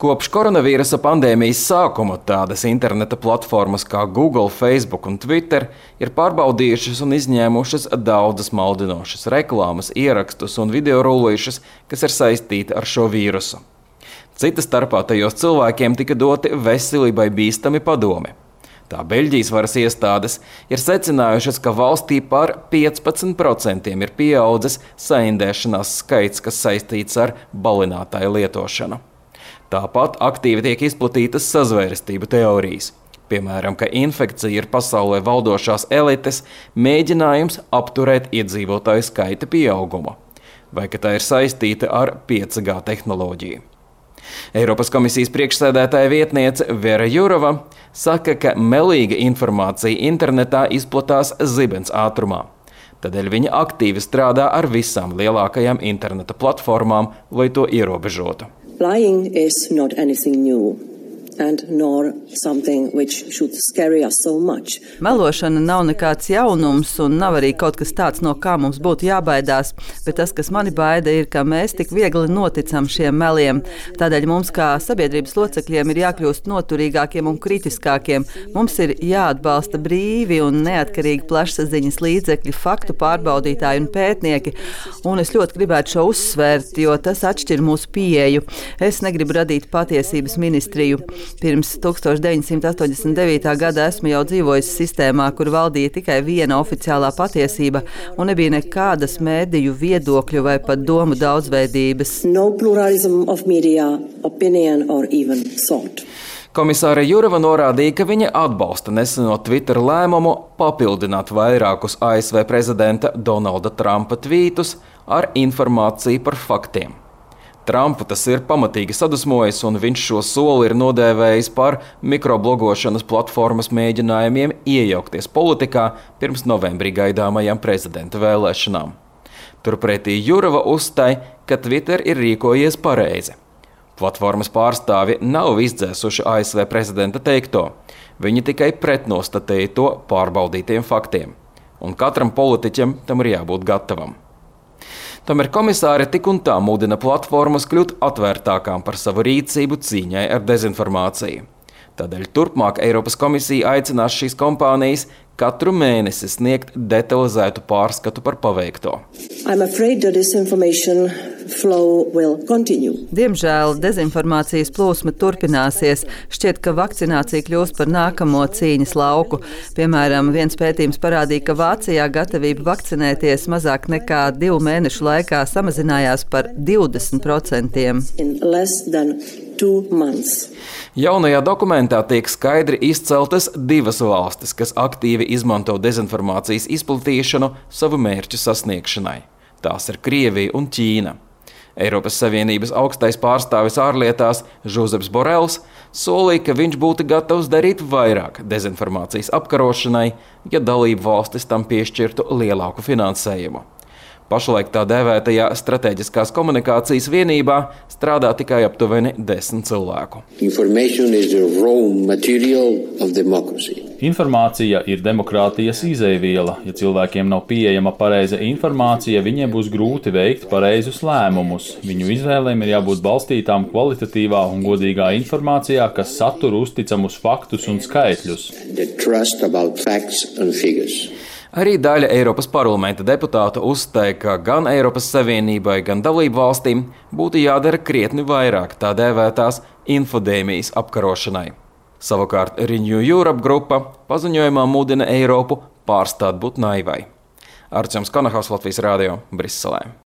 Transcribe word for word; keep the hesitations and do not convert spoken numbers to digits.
Kopš koronavīrusa pandēmijas sākuma tādas interneta platformas kā Google, Facebook un Twitter ir pārbaudījušas un izņēmušas daudzas maldinošas reklāmas, ierakstus un video rullīšus, kas ir saistīti ar šo vīrusu. Cita starpā tajos cilvēkiem tika doti veselībai bīstami padomi. Tā Beļģijas varas iestādes ir secinājušas, ka valstī par piecpadsmit procentiem ir pieaudzis saindēšanās skaits, kas saistīts ar balinātāju lietošanu. Tāpat aktīvi tiek izplatītas sazvērestību teorijas. Piemēram, ka infekcija ir pasaulē valdošās elites mēģinājums apturēt iedzīvotāju skaita pieaugumu, vai ka tā ir saistīta ar pieci G tehnoloģiju. Eiropas komisijas priekšsēdētāja vietniece Vera Jurova saka, ka melīga informācija internetā izplatās zibens ātrumā. Tādēļ viņa aktīvi strādā ar visām lielākajām interneta platformām, lai to ierobežotu. Lying is not anything new. And nor something which should scare us so much. Melošana nav nekāds jaunums un nav arī kaut kas tāds, no kā mums būtu jābaidās, bet tas, kas mani baida, ir, ka mēs tik viegli noticam šiem meliem. Tādēļ mums kā sabiedrības locekļiem ir jākļūst noturīgākiem un kritiskākiem. Mums ir jāatbalsta brīvi un neatkarīgi plašsaziņas līdzekļi, faktu pārbaudītāji un pētnieki, un es ļoti gribētu šo uzsvērt, jo tas atšķir mūsu pieeju. Es negribu radīt patiesības ministriju. Pirms tūkstoš deviņsimt astoņdesmit devītā gada esmu jau dzīvojis sistēmā, kur valdīja tikai viena oficiālā patiesība un nebija nekādas mēdīju viedokļu vai pat domu daudzveidības. No pluralism of media, opinion or even thought. Komisāre Jurova norādīja, ka viņa atbalsta neseno Twitter lēmumu papildināt vairākus A S V prezidenta Donalda Trumpa tvītus ar informāciju par faktiem. Trumpu tas ir pamatīgi sadusmojis, un viņš šo soli ir nodēvējis par mikroblogošanas platformas mēģinājumiem iejaukties politikā pirms novembrī gaidāmajām prezidenta vēlēšanām. Turpretī Jurova uzstāja, ka Twitter ir rīkojies pareizi. Platformas pārstāvi nav izdzēsuši A S V prezidenta teikto. Viņi tikai pretnostatēja to pārbaudītiem faktiem. Un katram politiķam tam ir jābūt gatavam. Tomēr komisāre tik un tā mudina platformas kļūt atvērtākām par savu rīcību cīņai ar dezinformāciju. Tādēļ turpmāk Eiropas komisija aicinās šīs kompānijas katru mēnesi sniegt detalizētu pārskatu par paveikto. I'm afraid that this information flow will continue. Diemžēl dezinformācijas plūsma turpināsies. Šķiet, ka vakcinācija kļūs par nākamo cīņas lauku. Piemēram, viens pētījums parādīja, ka Vācijā gatavība vakcinēties mazāk nekā divu mēnešu laikā samazinājās par divdesmit procentiem. In less than two months. Jaunajā dokumentā tiek skaidri izceltas divas valstis, kas aktīvi izmanto dezinformācijas izplatīšanu savu mērķu sasniegšanai. Tās ir Krievija un Ķīna. Eiropas Savienības augstais pārstāvis ārlietās Žozeps Borels solīja, ka viņš būtu gatavs darīt vairāk dezinformācijas apkarošanai, ja dalību valstis tam piešķirtu lielāku finansējumu. Pašlaik tā dēvētajā strateģiskās komunikācijas vienībā strādā tikai aptuveni desmit cilvēku. Informācija ir demokrātijas izejviela. Ja cilvēkiem nav pieejama pareiza informācija, viņiem būs grūti veikt pareizus lēmumus. Viņu izvēlēm ir jābūt balstītām kvalitatīvā un godīgā informācijā, kas satur uzticamus faktus un skaitļus. Arī daļa Eiropas parlamenta deputātu uzstāja, ka gan Eiropas Savienībai, gan dalību valstīm būtu jādara krietni vairāk tā dēvētās infodēmijas apkarošanai. Savukārt Renew Europe grupa paziņojumā mudina Eiropu pārstāt būt naivai. Arčuns Konahaus, Latvijas radio, Briselē.